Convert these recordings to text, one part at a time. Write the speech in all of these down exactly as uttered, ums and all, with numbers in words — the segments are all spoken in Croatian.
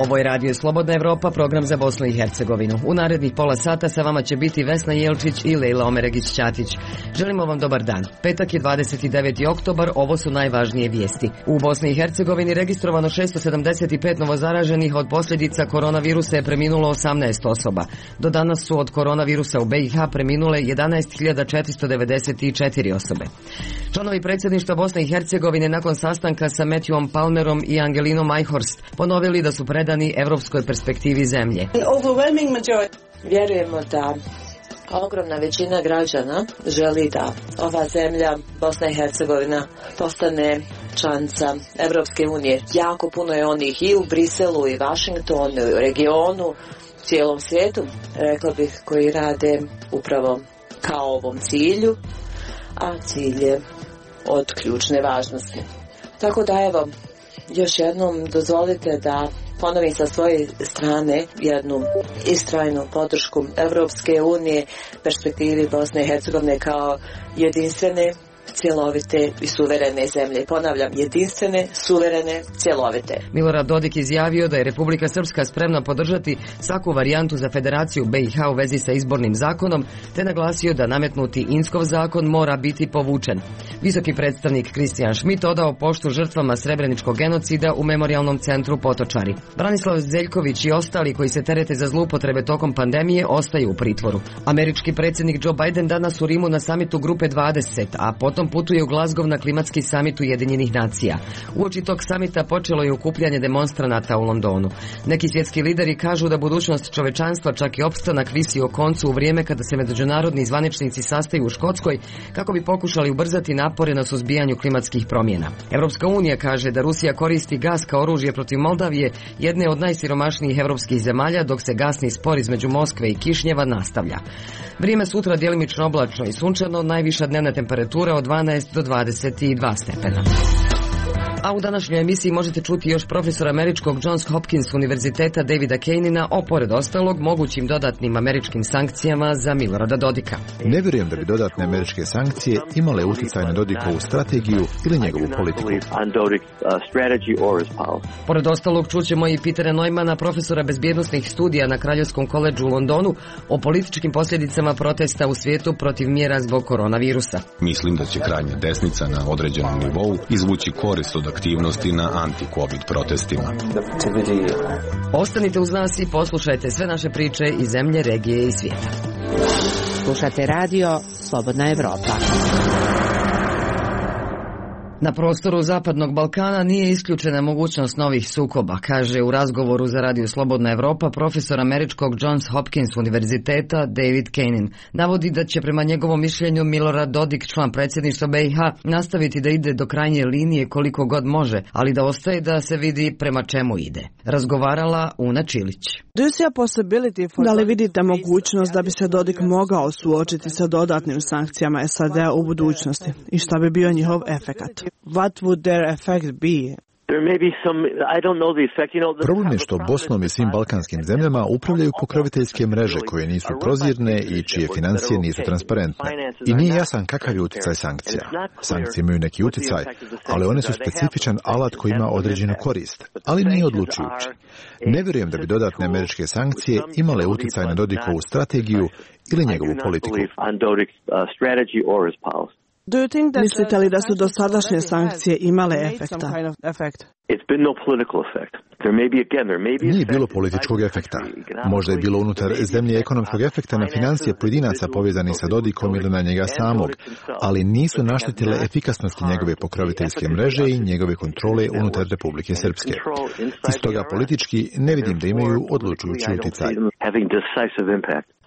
Ovo je Radio Slobodna Evropa, program za Bosnu i Hercegovinu. U narednih pola sata sa vama će biti Vesna Jelčić i Lejla Omeregić-Ćatić. Želimo vam dobar dan. Petak je dvadeset deveti oktobar, ovo su najvažnije vijesti. U Bosni i Hercegovini registrovano šesto sedamdeset pet novozaraženih, od posljedica koronavirusa je preminulo osamnaest osoba. Do danas su od koronavirusa u B i H preminule jedanaest hiljada četiristo devedeset četiri osobe. Članovi predsjedništva Bosne i Hercegovine nakon sastanka sa Matthewom Palmerom i Angelinom Eichhorst ponovili da su predani evropskoj perspektivi zemlje. Vjerujemo da ogromna većina građana želi da ova zemlja, Bosna i Hercegovina, postane članica Evropske unije. Jako puno je onih i u Briselu, i Washingtonu, i u regionu, cijelom svijetu, rekla bih, koji rade upravo kao ovom cilju, a cilj je od ključne važnosti. Tako da evo, još jednom dozvolite da ponovim sa svoje strane jednu istrajnu podršku Evropske unije, perspektivi Bosne i Hercegovine kao jedinstvene, cjelovite i suverene zemlje. Ponavljam, jedinstvene, suverene, cjelovite. Milorad Dodik izjavio da je Republika Srpska spremna podržati svaku varijantu za Federaciju B i H u vezi sa izbornim zakonom, te naglasio da nametnuti Inskov zakon mora biti povučen. Visoki predstavnik Kristijan Schmidt odao poštu žrtvama srebreničkog genocida u Memorijalnom centru Potočari. Branislav Zeljković i ostali koji se terete za zloupotrebe tokom pandemije ostaju u pritvoru. Američki predsjednik Joe Biden danas u Rimu na samitu Grupe dvadeset, a potom putuje u Glasgow na klimatski samit Ujedinjenih nacija. Uoči tog samita počelo je okupljanje demonstranata u Londonu. Neki svjetski lideri kažu da budućnost čovečanstva, čak i opstanak, visi o koncu u vrijeme kada se međunarodni zvaničnici sastaju u Škotskoj kako bi pokušali ubrzati napore na suzbijanju klimatskih promjena. Europska unija kaže da Rusija koristi gas kao oružje protiv Moldavije, jedne od najsiromašnijih europskih zemalja, dok se gasni spor između Moskve i Kišnjeva nastavlja. Vrijeme sutra djelimično oblačno i sunčano, najviša dnevna temperatura od dvanaest do dvadeset dva stepena. A u današnjoj emisiji možete čuti još profesora američkog Johns Hopkins univerziteta Davida Kejnina o, pored ostalog, mogućim dodatnim američkim sankcijama za Milorada Dodika. Ne vjerujem da bi dodatne američke sankcije imale utjecaj na Dodikovu strategiju ili njegovu politiku. Pored ostalog čućemo i Petera Neumana, profesora bezbjednosnih studija na Kraljevskom koledžu u Londonu, o političkim posljedicama protesta u svijetu protiv mjera zbog koronavirusa. Mislim da će krajnja desnica na određenom nivou izvući korist od aktivnosti na anti-covid protestima. Ostanite uz nas i poslušajte sve naše priče iz zemlje, regije i svijeta. Slušate radio Slobodna Evropa. Na prostoru Zapadnog Balkana nije isključena mogućnost novih sukoba, kaže u razgovoru za Radio Slobodna Evropa profesor američkog Johns Hopkins univerziteta David Kejnin. Navodi da će prema njegovom mišljenju Milorad Dodik, član predsjedništva B i H, nastaviti da ide do krajnje linije koliko god može, ali da ostaje da se vidi prema čemu ide. Razgovarala Una Čilić. Da li vidite mogućnost da bi se Dodik mogao suočiti sa dodatnim sankcijama S A D-a u budućnosti i šta bi bio njihov efekat? What would their effect be? Problem je što Bosnom i svim balkanskim zemljama upravljaju pokroviteljske mreže koje nisu prozirne i čije financije nisu transparentne. I nije jasan kakav je utjecaj sankcija. Sankcije imaju neki utjecaj, ali one su specifičan alat koji ima određenu korist, ali nije odlučujući. Ne vjerujem da bi dodatne američke sankcije imale utjecaj na Dodikovu strategiju ili njegovu politiku. Mislite li da su dosadašnje sankcije imale efekta? Nije bilo političkog efekta. Možda je bilo unutar zemlje ekonomskog efekta na financije pojedinaca povezanih sa Dodikom ili na njega samog, ali nisu naštetile efikasnosti njegove pokroviteljske mreže i njegove kontrole unutar Republike Srpske. Iz toga politički ne vidim da imaju odlučujući utjecaj.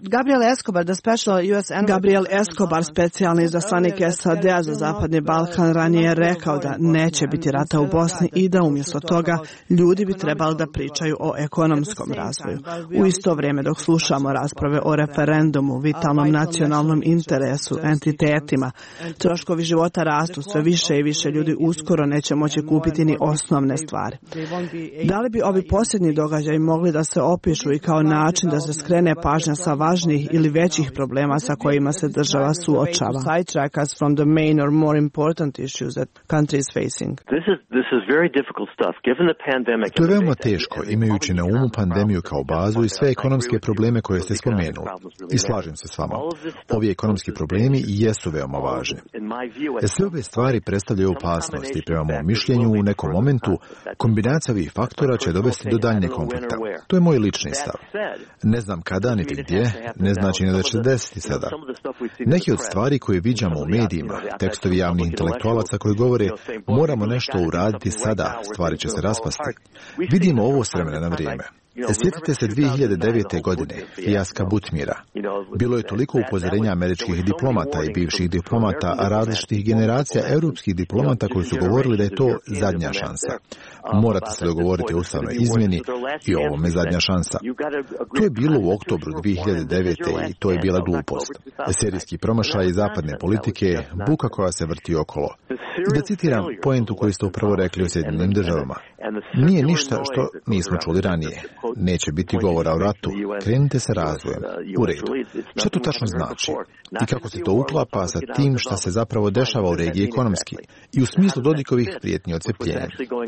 Gabriel Escobar, the special U S Gabriel Escobar, specijalni izaslanik S A D-a za Zapadni Balkan, ranije je rekao da neće biti rata u Bosni i da umjesto toga ljudi bi trebali da pričaju o ekonomskom razvoju. U isto vrijeme dok slušamo rasprave o referendumu, vitalnom nacionalnom interesu, entitetima, troškovi života rastu, sve više i više ljudi uskoro neće moći kupiti ni osnovne stvari. Da li bi ovi posljednji događaji mogli da se opišu i kao način da se skrene pažnja sa važnih ili većih problema sa kojima se država suočava. Sidetrack us from the main or more important issues that country is facing. To je veoma teško, imajući na umu pandemiju kao bazu i sve ekonomske probleme koje ste spomenuli. I slažem se s vama. Ovi ekonomski problemi jesu veoma važni. Sve ove stvari predstavljaju opasnost i prema mom mišljenju u nekom momentu kombinacija ovih faktora će dovesti do daljnjeg konflikta. To je moj lični stav. Ne znam kada niti gdje, ne znači ni da će desiti sada. Neki od stvari koje viđamo u medijima, tekstovi javnih intelektualaca koji govore moramo nešto uraditi sada, stvari će se raspasti. Vidimo ovo s vremena na vrijeme. Sjetite se dvije hiljade devete. godine, fijaska Butmira. Bilo je toliko upozorenja američkih diplomata i bivših diplomata, a različitih generacija europskih diplomata koji su govorili da je to zadnja šansa. Morate se dogovoriti o ustavnoj izmjeni i ovome zadnja šansa. To je bilo u oktobru dvije hiljade devete. i to je bila glupost. Serijski promašaj zapadne politike, buka koja se vrti okolo. Da citiram poentu koju ste upravo rekli o Sjedinjenim državama. Nije ništa što nismo čuli ranije. Neće biti govora o ratu. Krenite sa razvojem. U redu. Što to tačno znači? I kako se to uklapa sa tim što se zapravo dešava u regiji ekonomski i u smislu Dodikovih prijetnji odcepljenja.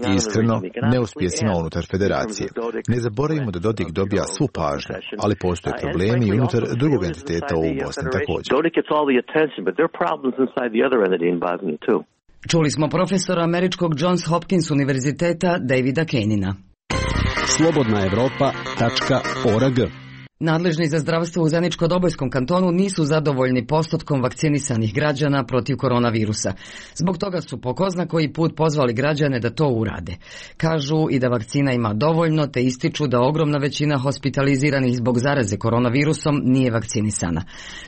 I iskreno, neuspjesima unutar federacije. Ne zaboravimo da Dodik dobija svu pažnju, ali postoje problemi i unutar drugog entiteta u Bosni također. Čuli smo profesora američkog Johns Hopkins univerziteta Davida Kenina. slobodna evropa tačka org. Nadležni za zdravstvo u Zeničko-Dobojskom kantonu nisu zadovoljni postotkom vakcinisanih građana protiv koronavirusa. Zbog toga su po ko zna koji put pozvali građane da to urade. Kažu i da vakcina ima dovoljno, te ističu da ogromna većina hospitaliziranih zbog zaraze koronavirusom nije vakcinisana.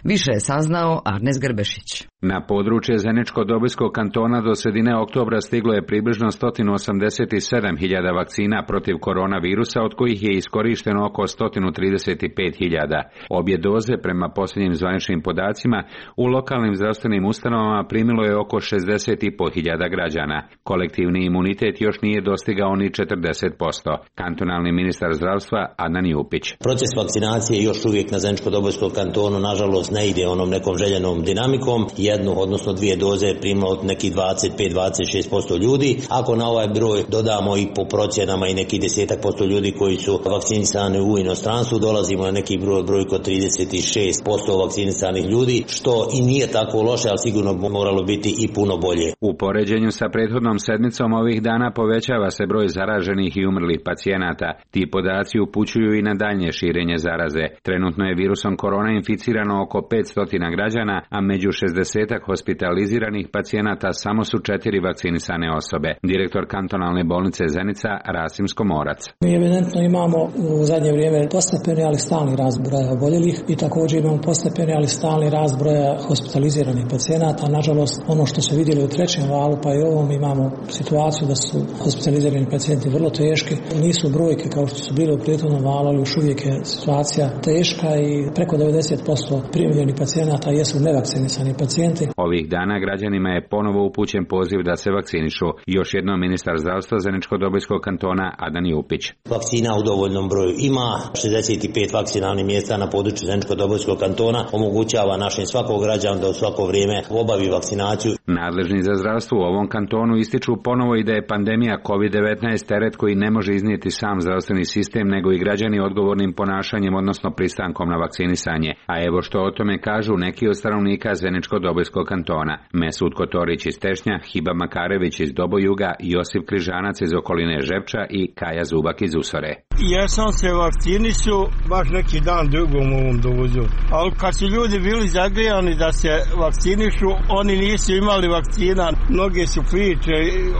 Više je saznao Arnes Grbešić. Na područje Zeničko-Dobojskog kantona do sredine oktobra stiglo je približno sto osamdeset sedam hiljada vakcina protiv koronavirusa, od kojih je iskorišteno oko sto trideset pet hiljada. Obje doze, prema posljednjim zvaničnim podacima, u lokalnim zdravstvenim ustanovama primilo je oko šezdeset i pet hiljada građana. Kolektivni imunitet još nije dostigao ni četrdeset posto. Kantonalni ministar zdravstva Adnan Jupić. Proces vakcinacije još uvijek na Zeničko-Dobojskom kantonu nažalost ne ide onom nekom željenom dinamikom. Jednu, odnosno dvije doze je primilo od nekih dvadeset pet do dvadeset šest posto ljudi. Ako na ovaj broj dodamo i po procjenama i neki desetak posto ljudi koji su vakcinisani u inostranstvu, dolazimo na neki broj, broj kod trideset šest posto vakcinisanih ljudi, što i nije tako loše, ali sigurno moralo biti i puno bolje. U poređenju sa prethodnom sedmicom ovih dana povećava se broj zaraženih i umrlih pacijenata. Ti podaci upućuju i na daljnje širenje zaraze. Trenutno je virusom korona inficirano oko petsto građana, a među šezdesetak hospitaliziranih pacijenata samo su četiri vakcinisane osobe. Direktor kantonalne bolnice Zenica Rasim Skomorac. Mi evidentno imamo u zadnje vrijeme postepeni, ali stalni rast broja oboljelih i također imamo postepeni, ali stalni rast broja hospitaliziranih pacijenata. Nažalost, ono što se vidjeli u trećem valu, pa i ovom, imamo situaciju da su hospitalizirani pacijenti vrlo teški. Nisu brojke kao što su bile u prethodnom valu, ali još uvijek je situacija teška i preko devedeset posto primljenih pacijenata jesu nevakcinisani pacijenti. Ovih dana građanima je ponovo upućen poziv da se vakcinišu. Još jednom ministar zdravstva Zeničko-Dobojskog kantona Adnan Jupić. Vakcina u dovoljnom broju ima, šezdeset pet vakcinalnih mjesta na području Zeničko-Dobojskog kantona omogućava našim svakog građana da u svako vrijeme obavi vakcinaciju. Nadležni za zdravstvo u ovom kantonu ističu ponovo i da je pandemija kovid devetnaest teret koji ne može iznijeti sam zdravstveni sistem, nego i građani odgovornim ponašanjem, odnosno pristankom na vakcinisanje. A evo što o tome kažu neki od stanovnika Zeničko-Dobojskog kantona. Mesud Kotorić iz Tešnja, Hiba Makarević iz Dobojuga, Josip Križanac iz okoline Žepča i Kaja Zubak iz Usore. Ja sam se vakcinisu baš neki dan dugom u ovom dovozu. Ali kad su ljudi bili zagrijani da se vakcinišu, oni nisu imali vakcina. Mnoge su priče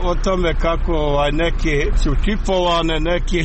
o tome kako ovaj, neki su čipovane, neki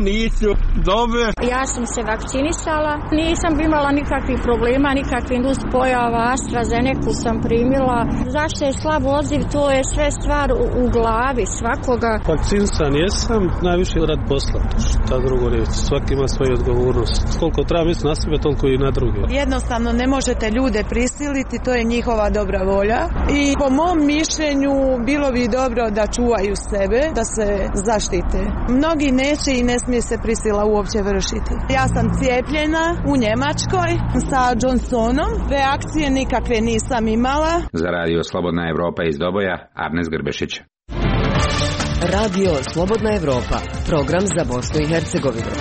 nisu dobre. Ja sam se vakcinisala, nisam imala nikakvih problema, nikakvih nuspojava. AstraZeneca sam primila. Zašto je slab odziv, to je sve stvar u, u glavi svakoga. Vakcinisan jesam, najviše rad posla. Ta drugo reći, svaki ima svoju odgovornost. Koliko treba misliti na sebe, toliko i na druge. Jednostavno ne možete ljude prisiliti, to je njihova dobra volja. I po mom mišljenju bilo bi dobro da čuvaju sebe, da se zaštite. mnogi neće i ne smije se prisila uopće vršiti. Ja sam cijepljena u Njemačkoj sa Johnsonom, reakcije nikakve nisam imala. Za radio Slobodna Evropa iz Doboja, Arnes Grbešić. Radio Slobodna Evropa, program za Bosnu i Hercegovinu.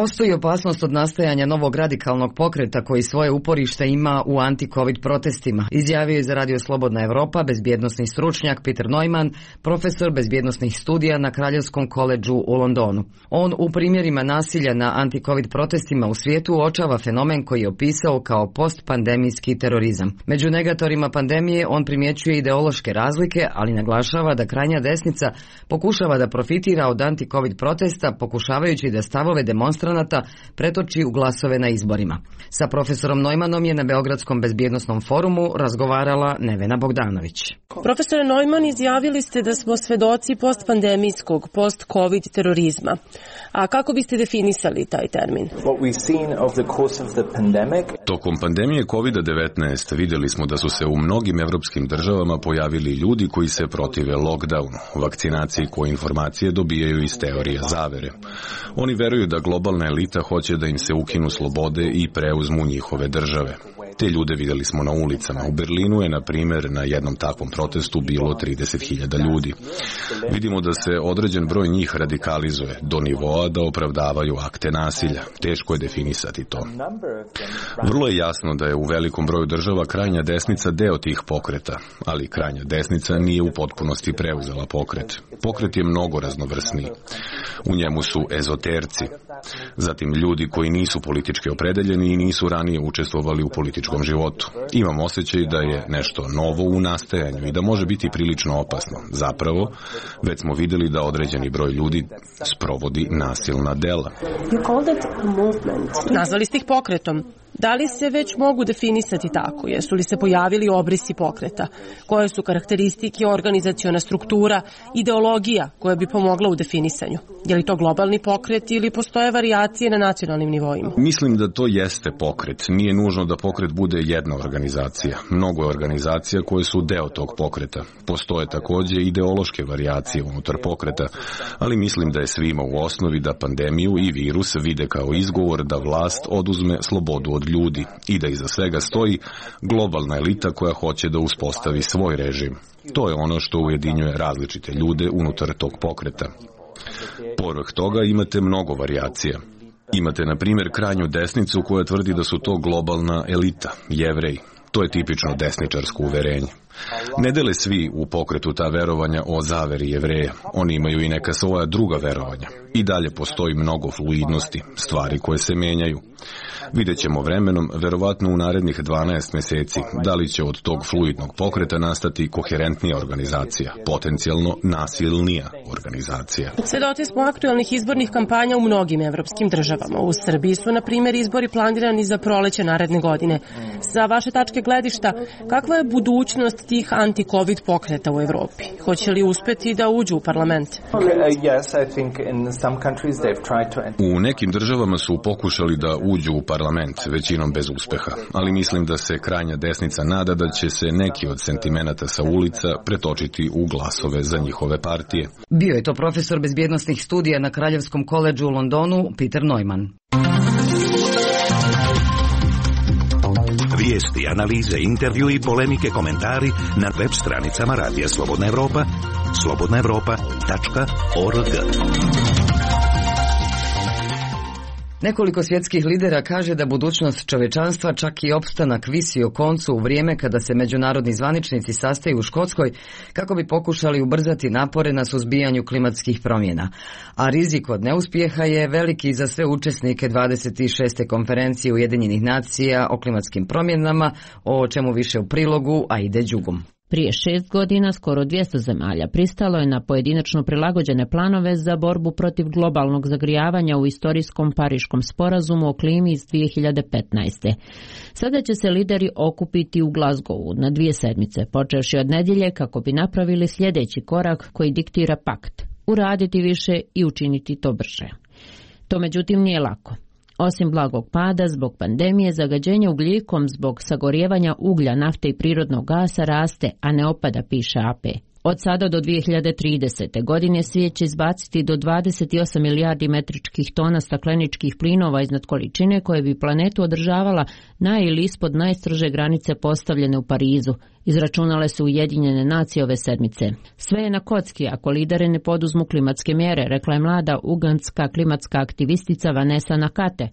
Postoji opasnost od nastajanja novog radikalnog pokreta koji svoje uporište ima u anti-covid protestima, izjavio je za Radio Slobodna Evropa bezbjednosni stručnjak Peter Neumann, profesor bezbjednosnih studija na Kraljevskom koledžu u Londonu. On u primjerima nasilja na anti-covid protestima u svijetu uočava fenomen koji je opisao kao postpandemijski terorizam. Među negatorima pandemije on primjećuje ideološke razlike, ali naglašava da krajnja desnica pokušava da profitira od anti-covid protesta, pokušavajući da stavove demonstracija pretoči u glasove na izborima. Sa profesorom Neumannom je na Beogradskom bezbjednosnom forumu razgovarala Nevena Bogdanović. Profesore Neumann, izjavili ste da smo svedoci postpandemijskog, post-covid terorizma. A kako biste definisali taj termin? Tokom pandemije kovid devetnaest vidjeli smo da su se u mnogim evropskim državama pojavili ljudi koji se protive lockdownu, vakcinaciji koje informacije dobijaju iz teorija zavere. Oni veruju da globalna elita hoće da im se ukinu slobode i preuzmu njihove države. Te ljude vidjeli smo na ulicama. U Berlinu je, na primjer, na jednom takvom protestu bilo trideset hiljada ljudi. Vidimo da se određen broj njih radikalizuje do nivoa da opravdavaju akte nasilja. Teško je definisati to. Vrlo je jasno da je u velikom broju država krajnja desnica deo tih pokreta, ali krajnja desnica nije u potpunosti preuzela pokret. Pokret je mnogo raznovrsniji. U njemu su ezoterci, zatim ljudi koji nisu politički opredeljeni i nisu ranije učestvovali u političkom životu. Imam osjećaj da je nešto novo u nastajanju i da može biti prilično opasno. Zapravo, već smo vidjeli da određeni broj ljudi sprovodi nasilna dela. Nazvali ste ih pokretom. Da li se već mogu definisati tako? Jesu li se pojavili obrisi pokreta? Koje su karakteristike, organizaciona struktura, ideologija koja bi pomogla u definisanju? Je li to globalni pokret ili postoje varijacije na nacionalnim nivoima? Mislim da to jeste pokret. Nije nužno da pokret bude jedna organizacija. Mnogo je organizacija koje su deo tog pokreta. Postoje također ideološke varijacije unutar pokreta, ali mislim da je svima u osnovi da pandemiju i virus vide kao izgovor da vlast oduzme slobodu od ljudi i da iza svega stoji globalna elita koja hoće da uspostavi svoj režim. To je ono što ujedinjuje različite ljude unutar tog pokreta. Povrh toga imate mnogo varijacija. Imate, na primjer, krajnju desnicu koja tvrdi da su to globalna elita, Jevreji. To je tipično desničarsko uverenje. Ne dele svi u pokretu ta verovanja o zaveri Jevreja. Oni imaju i neka svoja druga verovanja. I dalje postoji mnogo fluidnosti, stvari koje se menjaju. Vidjet ćemo vremenom, verovatno u narednih dvanaest mjeseci, da li će od tog fluidnog pokreta nastati koherentnija organizacija, potencijalno nasilnija organizacija. Svedoci smo aktualnih izbornih kampanja u mnogim evropskim državama. U Srbiji su, na primjer, izbori planirani za proleće naredne godine. Sa vaše tačke gledišta, kakva je budućnost tih anti-covid pokreta u Evropi? Hoće li uspeti da uđu u parlament? U nekim državama su pokušali da uđu u parlament, većinom bez uspeha, ali mislim da se krajnja desnica nada da će se neki od sentimenata sa ulica pretočiti u glasove za njihove partije. Bio je to profesor bezbjednosnih studija na Kraljevskom koledžu u Londonu, Peter Neumann. Vijesti, analize, intervju i polemike, komentari na web stranicama Radija Slobodna Evropa, slobodna evropa tačka org. Nekoliko svjetskih lidera kaže da budućnost čovečanstva, čak i opstanak, visi o koncu u vrijeme kada se međunarodni zvaničnici sastaju u Škotskoj kako bi pokušali ubrzati napore na suzbijanju klimatskih promjena. A rizik od neuspjeha je veliki za sve učesnike dvadeset šeste konferencije Ujedinjenih nacija o klimatskim promjenama, o čemu više u prilogu Aide Đugum. Prije šest godina skoro dvjesto zemalja pristalo je na pojedinačno prilagođene planove za borbu protiv globalnog zagrijavanja u istorijskom Pariškom sporazumu o klimi iz dvije hiljade petnaeste. Sada će se lideri okupiti u Glasgowu na dvije sedmice, počevši od nedjelje kako bi napravili sljedeći korak koji diktira pakt, uraditi više i učiniti to brže. To međutim nije lako. Osim blagog pada zbog pandemije, zagađenje ugljikom zbog sagorijevanja uglja, nafte i prirodnog gasa raste, a ne opada, piše A P. Od sada do dvije hiljade tridesete. godine svijet će izbaciti do dvadeset osam milijardi metričkih tona stakleničkih plinova iznad količine koje bi planetu održavala na ili ispod najstrože granice postavljene u Parizu, izračunale su Ujedinjene nacije ove sedmice. Sve je na kocki ako lideri ne poduzmu klimatske mjere, rekla je mlada ugandska klimatska aktivistica Vanessa Nakate.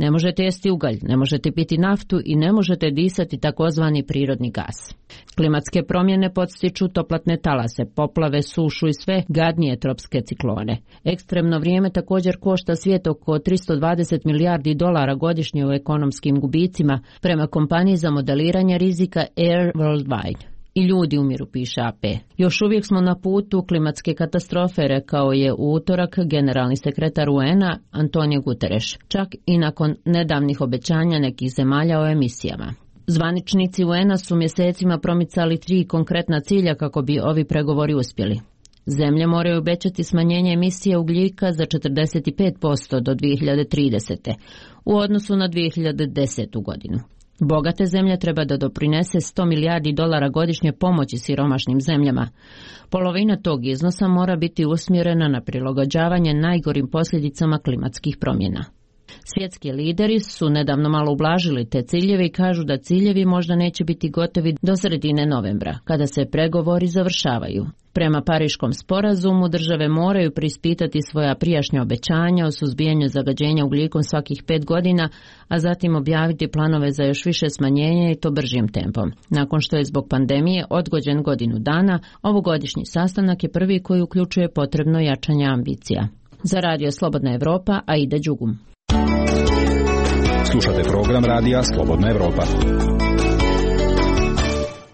Ne možete jesti ugalj, ne možete piti naftu i ne možete disati takozvani prirodni gas. Klimatske promjene podstiču toplatne talase, poplave, sušu i sve gadnije tropske ciklone. Ekstremno vrijeme također košta svijet oko tristo dvadeset milijardi dolara godišnje u ekonomskim gubicima prema kompaniji za modeliranje rizika Air Worldwide. I ljudi umiru, piše A P. Još uvijek smo na putu klimatske katastrofe, rekao je u utorak generalni sekretar U N A Antonio Guterres, čak i nakon nedavnih obećanja nekih zemalja o emisijama. Zvaničnici U N A su mjesecima promicali tri konkretna cilja kako bi ovi pregovori uspjeli. Zemlje moraju obećati smanjenje emisije ugljika za četrdeset pet posto do dvije hiljade tridesete. u odnosu na dvije hiljade desetu. godinu. Bogate zemlje treba da doprinese sto milijardi dolara godišnje pomoći siromašnim zemljama. Polovina tog iznosa mora biti usmjerena na prilagođavanje najgorim posljedicama klimatskih promjena. Svjetski lideri su nedavno malo ublažili te ciljeve i kažu da ciljevi možda neće biti gotovi do sredine novembra, kada se pregovori završavaju. Prema Pariškom sporazumu države moraju preispitati svoja prijašnja obećanja o suzbijanju zagađenja ugljikom svakih pet godina, a zatim objaviti planove za još više smanjenja i to bržim tempom. Nakon što je zbog pandemije odgođen godinu dana, ovogodišnji sastanak je prvi koji uključuje potrebno jačanje ambicija. Za Radio Slobodna Evropa, Aida Đugum. Slušate program Radija Slobodna Evropa.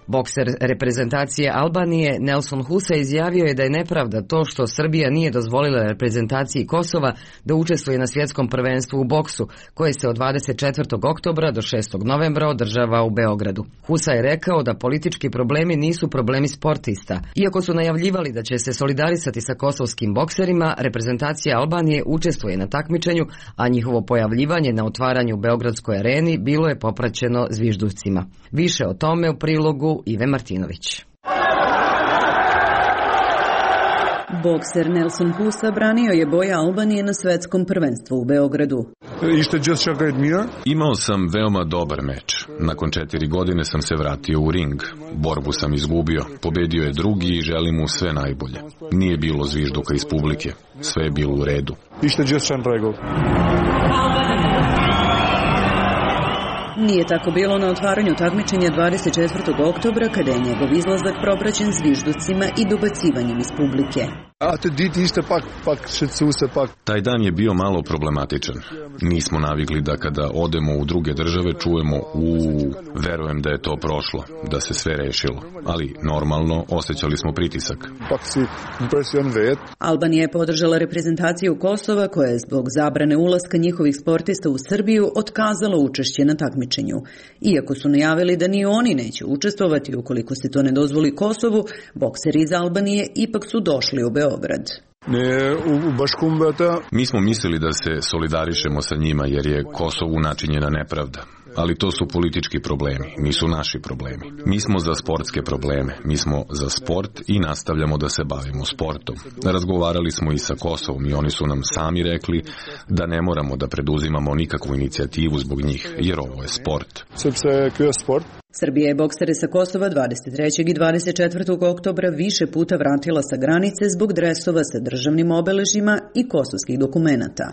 Bokser reprezentacije Albanije Nelson Husa izjavio je da je nepravda to što Srbija nije dozvolila reprezentaciji Kosova da učestvuje na svjetskom prvenstvu u boksu, koje se od dvadeset četvrtog oktobra do šestog novembra održava u Beogradu. Husa je rekao da politički problemi nisu problemi sportista. Iako su najavljivali da će se solidarisati sa kosovskim bokserima, reprezentacija Albanije učestvuje na takmičenju, a njihovo pojavljivanje na otvaranju u Beogradskoj areni bilo je popraćeno zvižducima. Više o tome u prilogu Ive Martinović. Bokser Nelson Husa branio je boje Albanije na svetskom prvenstvu u Beogradu. Imao sam veoma dobar meč. Nakon četiri godine sam se vratio u ring. Borbu sam izgubio. Pobedio je drugi i želim mu sve najbolje. Nije bilo zvižduka iz publike. Sve je bilo u redu. Nije tako bilo na otvaranju takmičenja dvadeset četvrtog oktobra, kada je njegov izlazak propraćen zvižducima i dobacivanjem iz publike. Taj dan je bio malo problematičan. Nismo navikli da kada odemo u druge države čujemo u verujem da je to prošlo, da se sve rešilo. Ali normalno osjećali smo pritisak. Albanija je podržala reprezentaciju Kosova, koja je zbog zabrane ulaska njihovih sportista u Srbiju otkazala učešće na takmičenju. Iako su najavili da ni oni neće učestvovati ukoliko se to ne dozvoli Kosovu, bokseri iz Albanije ipak su došli u Beograd. Mi smo mislili da se solidarišemo sa njima jer je Kosovu načinjena nepravda. Ali to su politički problemi, nisu naši problemi. Mi smo za sportske probleme, mi smo za sport i nastavljamo da se bavimo sportom. Razgovarali smo i sa Kosovom i oni su nam sami rekli da ne moramo da preduzimamo nikakvu inicijativu zbog njih, jer ovo je sport. Srbija je boksere sa Kosova dvadeset trećeg i dvadeset četvrtog oktobra više puta vratila sa granice zbog dresova sa državnim obeležjima i kosovskih dokumenata.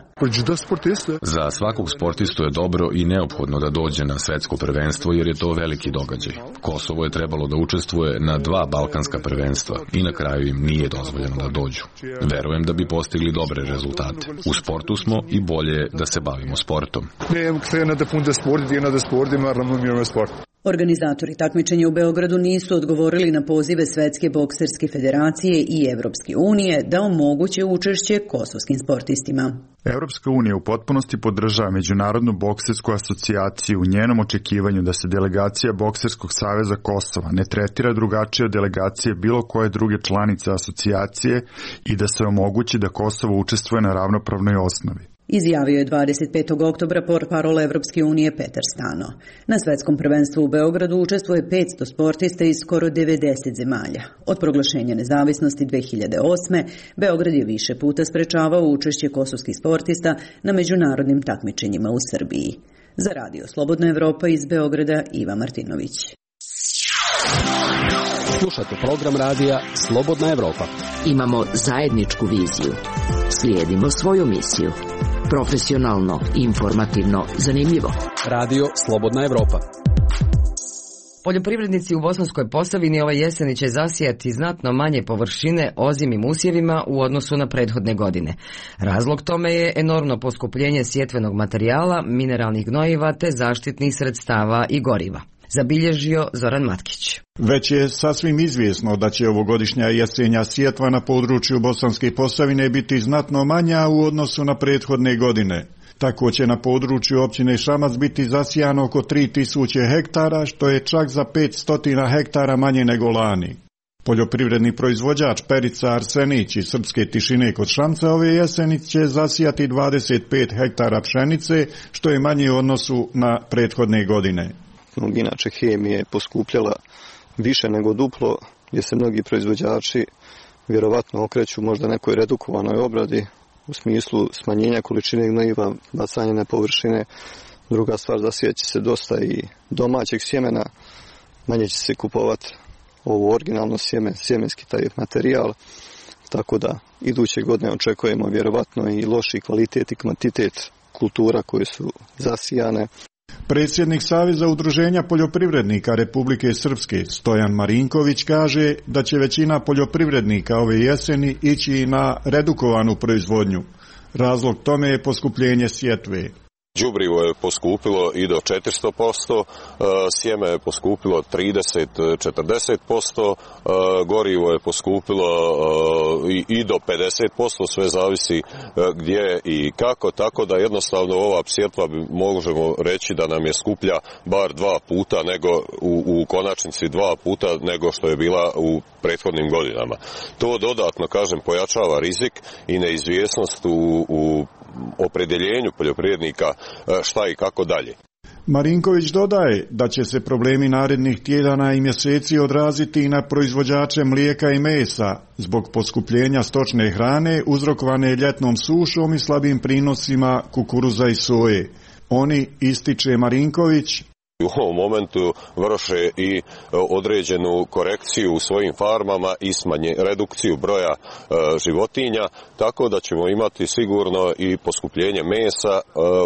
Za svakog sportistu je dobro i neophodno da dođe na svetsko prvenstvo jer je to veliki događaj. Kosovo je trebalo da učestvuje na dva balkanska prvenstva i na kraju im nije dozvoljeno da dođu. Verujem da bi postigli dobre rezultate. U sportu smo i bolje je da se bavimo sportom. Organizatori takmičenja u Beogradu nisu odgovorili na pozive Svetske bokserske federacije i Evropske unije da omoguće učešće kosovskim sportistima. Evropska unija u potpunosti podržava Međunarodnu boksersku asocijaciju u njenom očekivanju da se delegacija Bokserskog saveza Kosova ne tretira drugačije od delegacije bilo koje druge članice asocijacije i da se omogući da Kosovo učestvuje na ravnopravnoj osnovi. izjavio je dvadeset petog oktobra portparol Evropske unije Petar Stano. Na svetskom prvenstvu u Beogradu učestvuje petsto sportista iz skoro devedeset zemalja. Od proglašenja nezavisnosti dve hiljade osme. Beograd je više puta sprečavao učešće kosovskih sportista na međunarodnim takmičenjima u Srbiji. Za Radio Slobodna Evropa iz Beograda, Iva Martinović. Slušate program radija Slobodna Evropa. Imamo zajedničku viziju. Slijedimo svoju misiju. Profesionalno, informativno, zanimljivo. Radio Slobodna Evropa. Poljoprivrednici u Bosanskoj Posavini ove jeseni će zasijati znatno manje površine ozimim usjevima u odnosu na prethodne godine. Razlog tome je enormno poskupljenje sjetvenog materijala, mineralnih gnojiva te zaštitnih sredstava i goriva. Zabilježio Zoran Matkić. Već je sasvim izvjesno da će ovogodišnja jesenja sjetva na području Bosanske Posavine biti znatno manja u odnosu na prethodne godine. Tako će na području općine Šamac biti zasijano oko tri tisuće hektara, što je čak za petsto hektara manje nego lani. Poljoprivredni proizvođač Perica Arsenić iz Srpske Tišine kod Šamca ove jeseni će zasijati dvadeset pet hektara pšenice, što je manje u odnosu na prethodne godine. Inače, hemija je poskupljala više nego duplo, gdje se mnogi proizvođači vjerovatno okreću možda nekoj redukovanoj obradi u smislu smanjenja količine gnojiva, bacanja na površine. Druga stvar, zasijat će se dosta i domaćeg sjemena, manje će se kupovati ovo originalno sjeme, sjemenski taj materijal, tako da iduće godine očekujemo vjerovatno i loši kvalitet i kvantitet kultura koje su zasijane. Predsjednik Saveza udruženja poljoprivrednika Republike Srpske Stojan Marinković kaže da će većina poljoprivrednika ove jeseni ići na redukovanu proizvodnju. Razlog tome je poskupljenje sjetve. Đubrivo je poskupilo i do četiristo posto, sjeme je poskupilo trideset do četrdeset posto, gorivo je poskupilo i do pedeset posto, sve zavisi gdje i kako, tako da jednostavno ova sjetva možemo reći da nam je skuplja bar dva puta nego u, u konačnici dva puta nego što je bila u prethodnim godinama. To dodatno, kažem, pojačava rizik i neizvjesnost u, u opredjeljenju poljoprivrednika šta i kako dalje. Marinković dodaje da će se problemi narednih tjedana i mjeseci odraziti i na proizvođače mlijeka i mesa zbog poskupljenja stočne hrane uzrokovane ljetnom sušom i slabim prinosima kukuruza i soje. Oni, ističe Marinković, u ovom momentu vrše i određenu korekciju u svojim farmama i smanje, redukciju broja e, životinja, tako da ćemo imati sigurno i poskupljenje mesa e,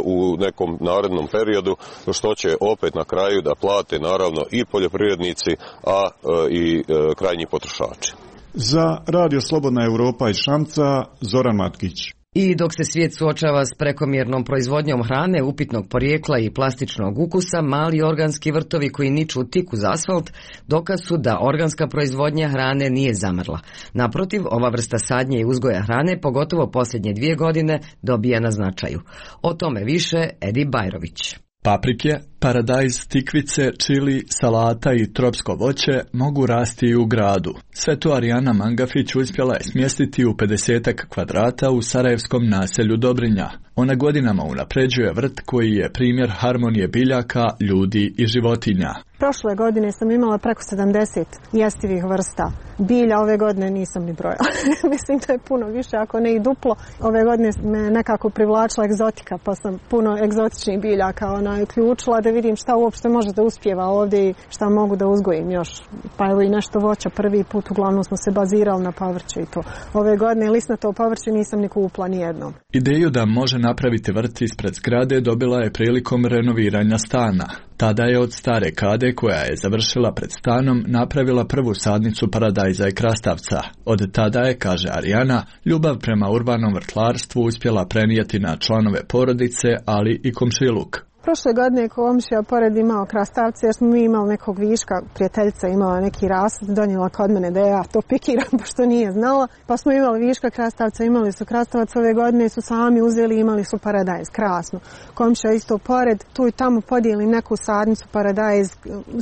u nekom narednom periodu, što će opet na kraju da plate naravno i poljoprivrednici, a e, i e, krajnji potrošači. Za Radio Slobodna Evropa iz Šamca, Zoran Matkić. I dok se svijet suočava s prekomjernom proizvodnjom hrane, upitnog porijekla i plastičnog ukusa, mali organski vrtovi koji niču tik uz asfalt dokaz su da organska proizvodnja hrane nije zamrla. Naprotiv, ova vrsta sadnje i uzgoja hrane, pogotovo posljednje dvije godine, dobija na značaju. O tome više Edi Bajrović. Paprike, paradajz, tikvice, čili, salata i tropsko voće mogu rasti i u gradu. Sve to Arijana Mangafić uspjela je smjestiti u pedesetak kvadrata u sarajevskom naselju Dobrinja. Ona godinama unapređuje vrt koji je primjer harmonije biljaka, ljudi i životinja. Prošle godine sam imala preko sedamdeset jestivih vrsta bilja, ove godine nisam ni brojala. Mislim da je puno više, ako ne i duplo. Ove godine me nekako privlačila egzotika, pa sam puno egzotičnih biljaka ona uključila da vidim šta uopšte može da uspijeva ovdje i šta mogu da uzgojim još. Pa evo i nešto voća prvi put, uglavnom smo se bazirali na povrće i to. Ove godine lisnato povrće nisam ni kupila ni jednom. Ideju da može napraviti vrt ispred zgrade dobila je prilikom renoviranja stana. Tada je od stare kade koja je završila pred stanom napravila prvu sadnicu paradajza i krastavca. Od tada je, kaže Arijana, ljubav prema urbanom vrtlarstvu uspjela prenijeti na članove porodice, ali i komšiluk. Prošle godine komšija pored imao krastavce, jer smo mi imali nekog viška, prijateljica imala neki rasad, donijela kod mene da ja to pikiram, pošto nije znala. Pa smo imali viška krastavca, imali su krastavac ove godine, su sami uzeli, imali su paradajz, krasno. Komšija isto pored, tu i tamo podijeli neku sadnicu paradajz,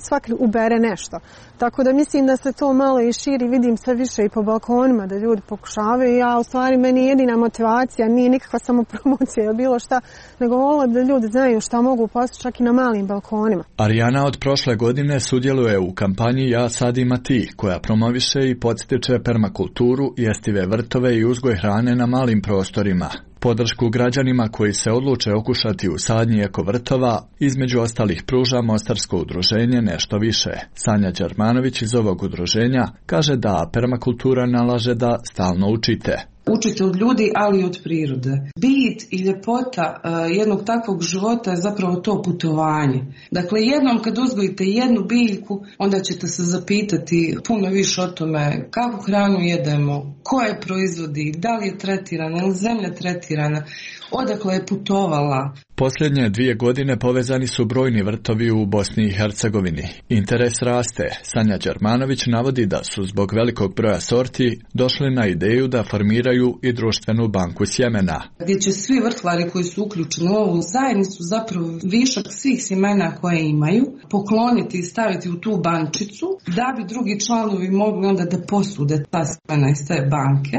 svaki ubere nešto. Tako da mislim da se to malo i širi, vidim sve više i po balkonima da ljudi pokušavaju. Ja, u stvari, meni jedina motivacija nije nikakva samo promocija ili bilo šta, nego volim da ljudi znaju šta mogu postići čak i na malim balkonima. Arijana od prošle godine sudjeluje u kampanji Ja sadim a ti, koja promoviše i podstiče permakulturu, jestive vrtove i uzgoj hrane na malim prostorima. Podršku građanima koji se odluče okušati u sadnji ekovrtova, između ostalih pruža Mostarsko udruženje Nešto više. Sanja Đermanović iz ovog udruženja kaže da permakultura nalaže da stalno učite. Učite od ljudi, ali i od prirode. Bit i ljepota uh, jednog takvog života je zapravo to putovanje. Dakle, jednom kad uzgojite jednu biljku, onda ćete se zapitati puno više o tome kakvu hranu jedemo, ko je proizvodi, da li je tretirana, je li zemlja tretirana, odakle je putovala. Posljednje dvije godine povezani su brojni vrtovi u Bosni i Hercegovini. Interes raste. Sanja Đermanović navodi da su zbog velikog broja sorti došli na ideju da formiraju i društvenu banku sjemena. Gdje će svi vrtlari koji su uključeni u ovu zajednicu zapravo višak svih sjemena koje imaju pokloniti i staviti u tu bančicu da bi drugi članovi mogli onda da posude ta sjemena iz te banke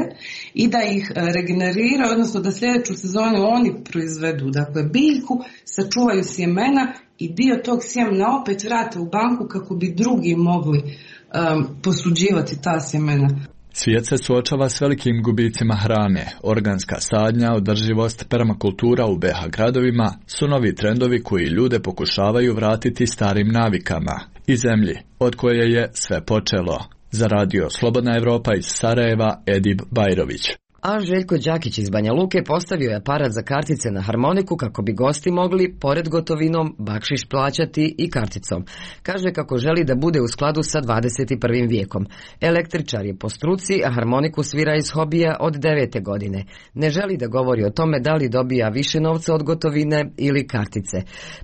i da ih regeneriraju, odnosno da sljedeću sezonu oni proizvedu. Dakle, biljku, sačuvaju sjemena i dio tog sjemena opet vrate u banku kako bi drugi mogli um, posuđivati ta sjemena. Svijet se suočava s velikim gubicima hrane. Organska sadnja, održivost, permakultura u be ha gradovima su novi trendovi koji ljude pokušavaju vratiti starim navikama i zemlji od koje je sve počelo. Za radio Slobodna Evropa iz Sarajeva, Edip Bajrović. A Željko Đakić iz Banja Luke postavio je aparat za kartice na harmoniku kako bi gosti mogli, pored gotovinom, bakšiš plaćati i karticom. Kaže kako želi da bude u skladu sa dvadeset prvim vijekom. Električar je po struci, a harmoniku svira iz hobija od devete godine. Ne želi da govori o tome da li dobija više novca od gotovine ili kartice.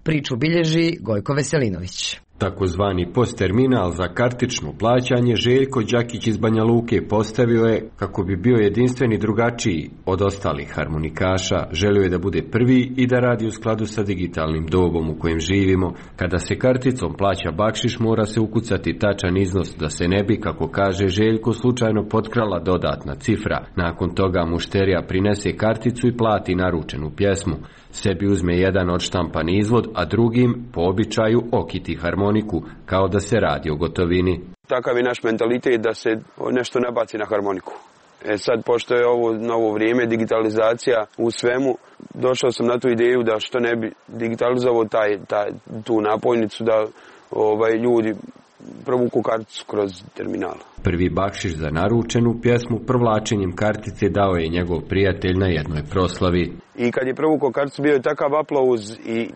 Priču bilježi Gojko Veselinović. Takozvani postterminal za kartično plaćanje Željko Đakić iz Banja Luke postavio je kako bi bio jedinstveni drugačiji od ostalih harmonikaša. Želio je da bude prvi i da radi u skladu sa digitalnim dobom u kojem živimo. Kada se karticom plaća bakšiš, mora se ukucati tačan iznos da se ne bi, kako kaže Željko, slučajno potkrala dodatna cifra. Nakon toga mušterija prinese karticu i plati naručenu pjesmu. Sebi uzme jedan odštampan izvod, a drugim, po običaju, okiti harmoniku, kao da se radi o gotovini. Takav je naš mentalitet da se nešto ne baci na harmoniku. E sad, pošto je ovo novo vrijeme, digitalizacija u svemu, došao sam na tu ideju da što ne bi digitalizovao taj, taj, tu napojnicu, da ovaj, ljudi provuku karticu kroz terminal. Prvi bakšiš za naručenu pjesmu provlačenjem kartice dao je njegov prijatelj na jednoj proslavi. I kad je provukao karticu, bio je takav aplauz i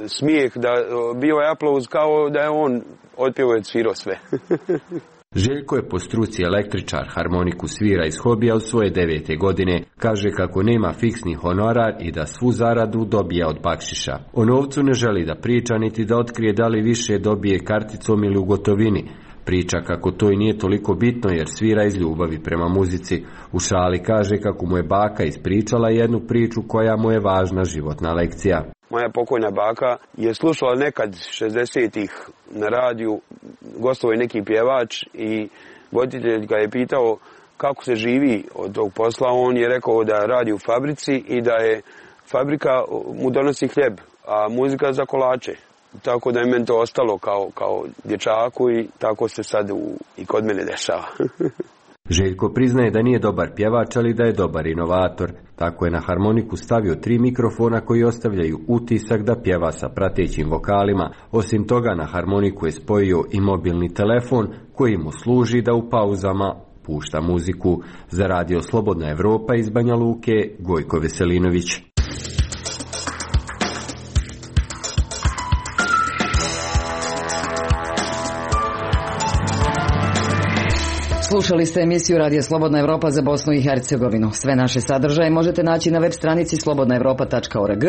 smijeh, da bio je aplauz kao da je on otpjevao i svirao sve. Željko je po struci električar, harmoniku svira iz hobija od svoje devete godine. Kaže kako nema fiksni honorar i da svu zaradu dobija od bakšiša. O novcu ne želi da priča niti da otkrije da li više dobije karticom ili u gotovini. Priča kako to i nije toliko bitno jer svira iz ljubavi prema muzici. U šali kaže kako mu je baka ispričala jednu priču koja mu je važna životna lekcija. Moja pokojna baka je slušala nekad šezdesetih na radiju, gostovao je neki pjevač i voditelj ga je pitao kako se živi od tog posla. On je rekao da radi u fabrici i da je fabrika mu donosi hljeb, a muzika za kolače. Tako da je meni to ostalo kao, kao dječaku i tako se sad u, i kod mene dešava. Željko priznaje da nije dobar pjevač, ali da je dobar inovator. Tako je na harmoniku stavio tri mikrofona koji ostavljaju utisak da pjeva sa pratećim vokalima. Osim toga, na harmoniku je spojio i mobilni telefon koji mu služi da u pauzama pušta muziku. Za radio Slobodna Evropa iz Banja Luke, Gojko Veselinović. Slušali ste emisiju Radija Slobodna Evropa za Bosnu i Hercegovinu. Sve naše sadržaje možete naći na web stranici slobodna evropa tačka org,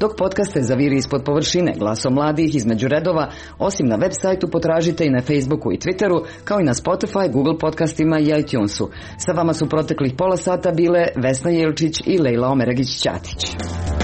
dok podcaste Zaviri ispod površine, Glasom mladih, Između redova, osim na web sajtu potražite i na Facebooku i Twitteru, kao i na Spotify, Google podcastima i iTunesu. Sa vama su proteklih pola sata bile Vesna Jelčić i Lejla Omeragić-Ćatić.